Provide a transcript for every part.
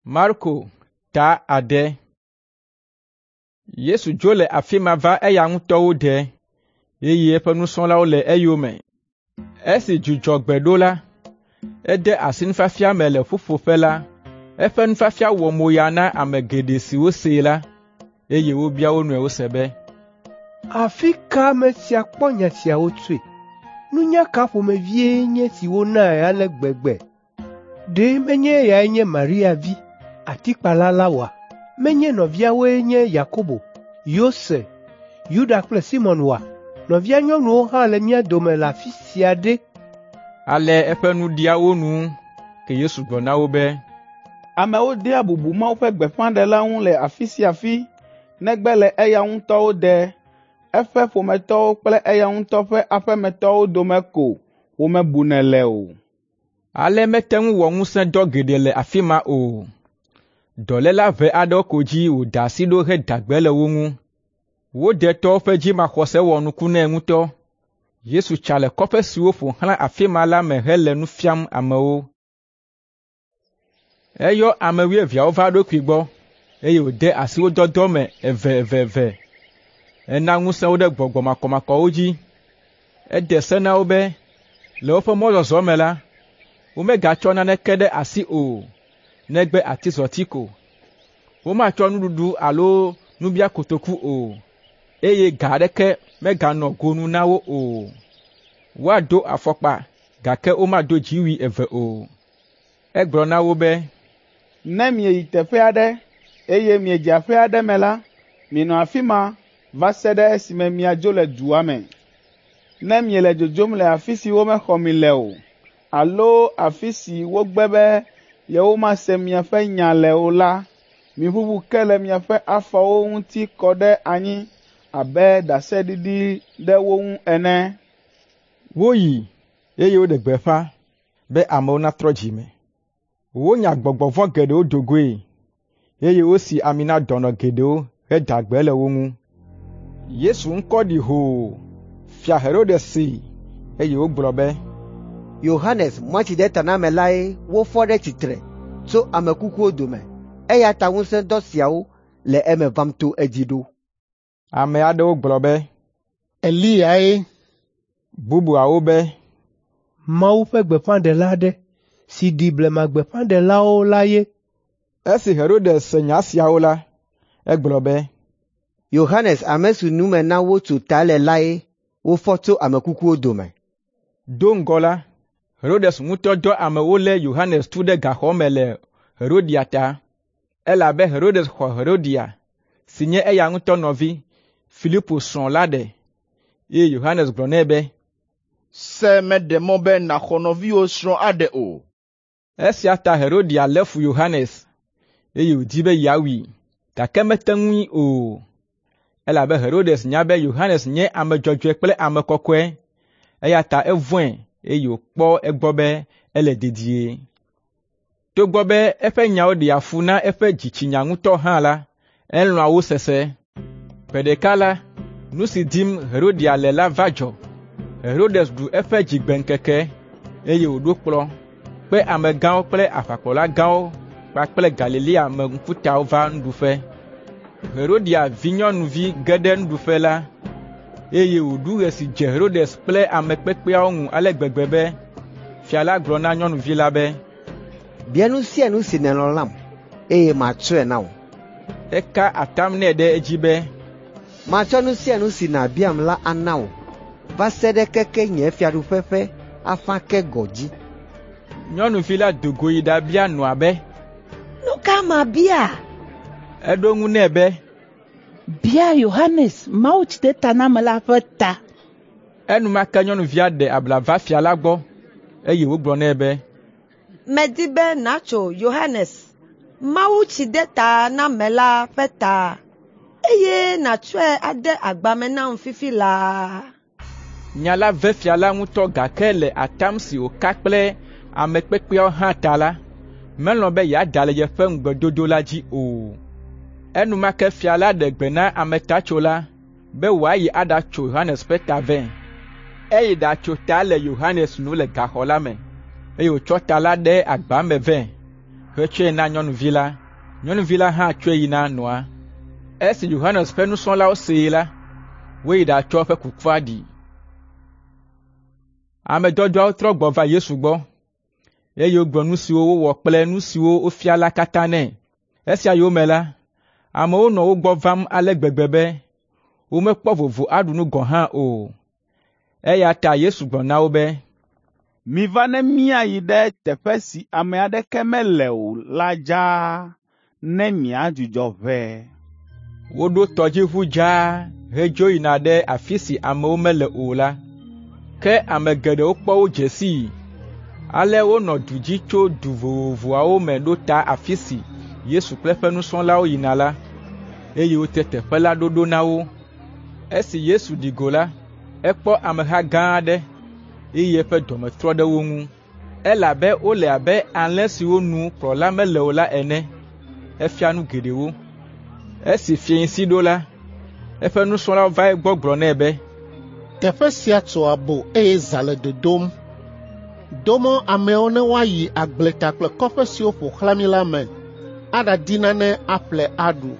Marko ta 6. Yesu dzo le afi ma va eya ŋutɔ wo de, eye eƒe nusrɔ̃lawo le eyome. Esi Dzudzɔgbe ɖo la, ede asi nufiafia me le ƒuƒoƒe la. Eƒe nufiafia wɔ moya na ame geɖe siwo see la, eye wobia wo nɔewo se be, “Afi ka ame sia kpɔ nya siawo tsoe? Nunya ka ƒomevie nye esi wonae ale gbegbe? Ɖe menye eyae nye Maria vi, atikpala la oa? Menye nɔviawoe nye Yakobo, Yose, Yuda kple Simɔn oa? Nɔvia nyɔnuwo hã le mía dome le afi sia ɖe?” Ale eƒe nu ɖia wo nu. Ke Yesu gblɔ na wo be, “Amewo dea bubu Mawu ƒe gbeƒãɖela ŋu le afi sia afi negbe le eya ŋutɔ wo de, eƒe ƒometɔwo kple eya ŋutɔ ƒe aƒemetɔwo dome ko womebunɛ le o.” Ale mete ŋu wɔ ŋusẽdɔ geɖe le afi ma o. Dɔléla ʋɛ aɖewo ko dzi wòda asi ɖo heda gbe le wo ŋu. Wo detɔwo ƒe dzimaxɔse wɔ nuku nɛ ŋutɔ. Yesu tsa le kɔƒe siwo ƒo xlã afi ma la me hele nu fiam amewo. Eyɔ ame wuieveawo va eɖokui gbɔ, eye wòde asi wo dɔdɔ me eveveve. Ena ŋusẽ wo ɖe gbɔgbɔ makɔmakɔwo dzi. Ede se na wo be le woƒe mɔzɔzɔ me la, womegatsɔ naneke ɖe asi o, negbe atizɔti ko. Womatsɔ nuɖuɖu alo nubiakotoku o, eye ga aɖeke meganɔ gonu na wo o. Woado afɔkpa, gake womado dziwui eve o. Egblɔ na wo be, “Ne mieyi teƒe aɖe, eye miedze aƒe aɖe me la, minɔ afi ma va se ɖe esime miadzo le dua me. Ne miele dzodzom le afi si womexɔ mi le o, alo afi si wogbe be yewomase miaƒe nya le o la, miʋuʋu ke le miaƒe afɔwo ŋuti kɔ ɖe anyi abe ɖaseɖiɖi ɖe wo ŋu ene.” Woyi, eye woɖe gbeƒã be amewo natrɔ dzi me. Wonya gbɔgbɔ vɔ̃ geɖewo do goe, eye wosi ami na dɔnɔ geɖewo heda gbe le wo ŋu. Yesu ŋkɔ ɖi hoo. Fia Herodes see, eye wògblɔ be, “Yohanes Mawutsidetanamelae wofɔ ɖe tsitre tso ame kukuwo dome, eya ta ŋusẽdɔ siawo le eme vam to edzi ɖo.” Ame aɖewo gblɔ be, “Eliyae.” Bubuawo be, “Mawu ƒe gbeƒãɖela aɖe si ɖi blemagbeƒãɖelawo la ye.” Esi Herodes se nya siawo la, egblɔ be, “Yohanes ame si nu me na wotso ta le lae wofɔ tso ame kukuwo dome.” Do ŋgɔ la, Herodes ŋutɔ dɔ ame wolé Yohanes tu ɖe gaxɔ me le Herodia ta, elabe Herodes xɔ Herodia, si nye eya ŋutɔ nɔvi, Filipo srɔ̃ la ɖe, eye Yohanes gblɔ nɛ be, “Se meɖe mɔ be nàxɔ nɔviwò srɔ̃ aɖe o.” Esia ta Herodia lé fu Yohanes, eye wòdi be yeawui, gake mete ŋui o, elabe Herodes nya be Yohanes nye ame dzɔdzɔe kple ame kɔkɔe, eya ta evɔ̃e eye wòkpɔ egbɔ be ele dedie. Togbɔ be eƒe nyawo ɖea fu na eƒe dzitsinya ŋutɔ hã la, elɔ̃a wo sese. Gbe ɖeka la, nu si dim Herodia le la va dzɔ. Herodes ɖu eƒe dzigbeŋkeke, eye wòɖo kplɔ̃, kpe amegãwo kple aʋakplɔla gãwo kpakple Galilea me ŋkutawo va nuɖuƒe. Herodia vinyɔnuvi ge ɖe nuɖuƒe la, eye wòɖu ɣe si dze Herodes kple ame kpekpeawo ŋu ale gbegbe be fia la gblɔ na nyɔnuvi la be, “Bia nu sia nu si nèlɔ̃ lam, eye matsɔe na wò.” Eka atam nɛ ɖe edzi be, “Matsɔ nu sia nu si nàbiam la ana wò va se ɖe keke nye fiaɖuƒe ƒe afã ke gɔ̃ dzi.” Nyɔnuvi la do go yi ɖabia nɔa be, “Nu ka mabia?” Eɖo eŋu nɛ be, “Bia Yohanes Mawutsidetanamela ƒe ta.” Enumake nyɔnuvia ɖe abla va fia la gbɔ, eye wògblɔ nɛ be, “Medi be nàtso Yohanes Mawutsidetanamela ƒe ta, eye nàtsɔe ade agba me nam fifi laa.” Nya la ve fia la ŋutɔ gake le atam si wòka kple ame kpekpeawo hã ta la, melɔ̃ be yeada le yeƒe ŋugbedodo la dzi o. Enumake fia la ɖe gbe na ametatsola be wòayi aɖatso Yohanes ƒe ta vɛ. Eyi ɖatso ta le Yohanes nu le gaxɔ la me, eye wòtsɔ ta la ɖe agba me vɛ, hetsɔe na nyɔnuvi la. Nyɔnuvi la hã tsɔe yi na nɔa. Esi Yohanes ƒe nusrɔ̃lawo see la, woyi ɖatsɔ eƒe kukua ɖi. Ame dɔdɔawo trɔ gbɔ va Yesu gbɔ, eye wogblɔ nu siwo wowɔ kple nu siwo wofia la katã nɛ. Esia yome la, amewo nɔ wo gbɔ vam ale gbegbe be womekpɔ vovo aɖu nu gɔ̃ hã o. Eya ta Yesu gblɔ na wo be, “Miva ne míayi ɖe teƒe si ame aɖeke mele o la dzaa ne miadzudzɔ ʋɛ.” Woɖo tɔdziʋu dzaa hedzo yina ɖe afi si amewo mele o la. Ke ame geɖewo kpɔ wo dze sii. Ale wonɔ du dzi tso du vovovoawo me ɖo ta afi si Yesu kple eƒe nusrɔ̃lawo yina la, eye wote teƒe la ɖoɖo na wo. Esi Yesu ɖi go la, ekpɔ ameha gã aɖe, eye eƒe dɔme trɔ ɖe wo ŋu, elabe wole abe alẽ siwo nu kplɔla mele o la ene. Efia nu geɖewo. Esi fiẽsi ɖo la, eƒe nusrɔ̃lawo va egbɔ gblɔ nɛ be, “Teƒe sia tso abo eye zã le dodom. Do mɔ ameawo ne woayi agbleta kple kɔƒe siwo ƒo xlã mí la me aɖadi nane aƒle aɖu.”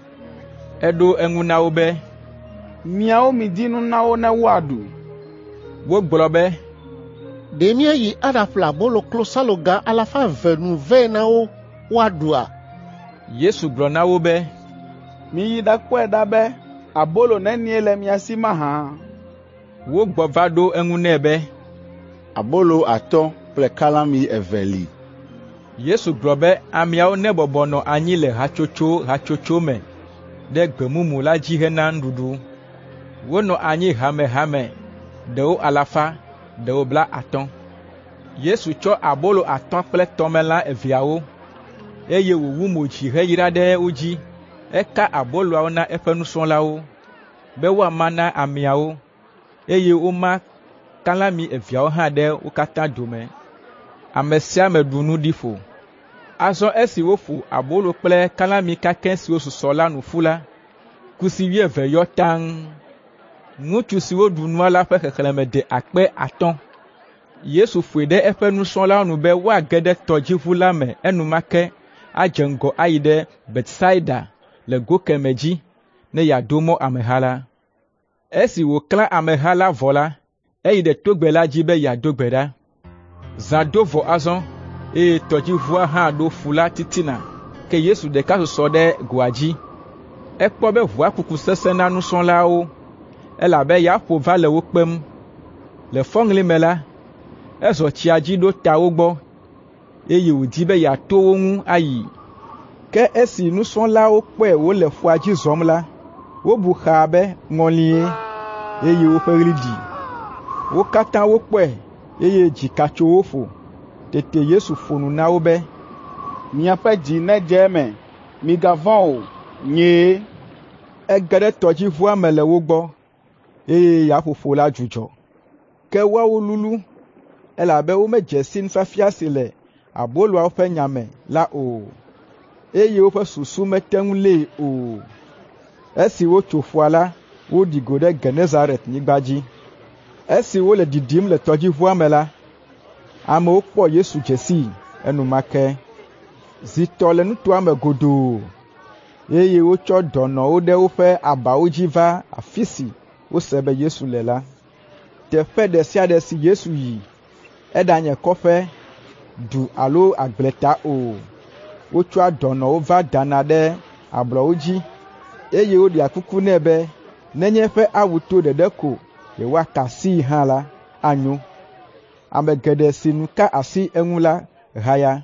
Eɖo eŋu na wo be, “Miawo midi nu na wo ne woaɖu.” Wogblɔ be, “Ɖe míayi aɖaƒle abolo klosaloga 200 nu vɛ na wo woaɖua?” Yesu gblɔ na wo be, “Miyi ɖakpɔe ɖa be abolo nenie le mia si mahã.” Wogbɔ va ɖo eŋu nɛ be, “Abolo 5 kple kalãmi eve li.” Yesu gblɔ be ameawo nebɔbɔ nɔ anyi le hatsotso hatsotso me ɖe gbe mumu la dzi hena nuɖuɖu. Wonɔ anyi hamehame, ɖewo alafa, ɖewo 50. Yesu tsɔ abolo 5 kple tɔmelã eveawo, eye wòwu mo dzi heyra ɖe wo dzi. Eka aboloawo na eƒe nusrɔ̃lawo be woama na ameawo, eye woma kalãmi eveawo hã ɖe wo katã dome. Ame sia ame ɖu nu ɖi ƒo. Azɔ esi woƒo abolo kple kalãmi kakɛ siwo susɔ la nu ƒu la, kusi 20 yɔ taŋ. Ŋutsu siwo ɖu nua la ƒe xexlẽme de 3,000. Yesu ƒoe ɖe eƒe nusrɔ̃lawo nu be woage ɖe tɔdziʋu la me enumake adze ŋgɔ ayi ɖe Betsaida le go kemɛ dzi ne yeado mɔ ameha la. Esi wòklã ameha la vɔ la, eyi ɖe togbɛ la dzi be yeado gbe ɖa. Zã do vɔ azɔ, eye tɔdziʋua hã ɖo ƒu la titina, ke Yesu ɖeka susɔ ɖe goa dzi. Ekpɔ be ʋua kuku sesẽ na nusrɔ̃lawo, elabe ya ƒo va le wo kpem. Le fɔŋli me la, ezɔ tsia dzi ɖo ta wo gbɔ, eye wòdi be yeato wo ŋu ayi. Ke esi nusrɔ̃lawo kpɔe wòle ƒua dzi zɔm la, wobu xaa be ŋɔlie, eye woƒe ɣli ɖi. Wo katã wokpɔe, eye dzika tso wo ƒo. Tete Yesu ƒo nu na wo be, “Miaƒe dzi nedze eme, migavɔ̃ o, nyee.” Ege ɖe tɔdziʋua me le wo gbɔ, eye yaƒoƒo la dzudzɔ. Ke woawo lulu, elabe womedze si nufiafia si le aboloawo ƒe nya me la o, eye woƒe susu mete ŋu lée o. Esi wotso ƒua la, woɖi go ɖe Genesaret-nyigba dzi. Esi wole ɖiɖim le tɔdziʋua me la, amewo kpɔ Yesu dze sii enumake. Zi tɔ le nutoa me godoo, eye wotsɔ dɔnɔwo ɖe woƒe abawo dzi va afi si wose be Yesu le la. Teƒe ɖe sia ɖe si Yesu yi, eɖanye kɔƒe, du alo agbleta o, wotsɔa dɔnɔwo va dana ɖe ablɔwo dzi, eye woɖea kuku nɛ be nenye eƒe awu to ɖeɖe ko yewoaka asii hã la, anyo. Ame geɖe si nu ka asi eŋu la haya.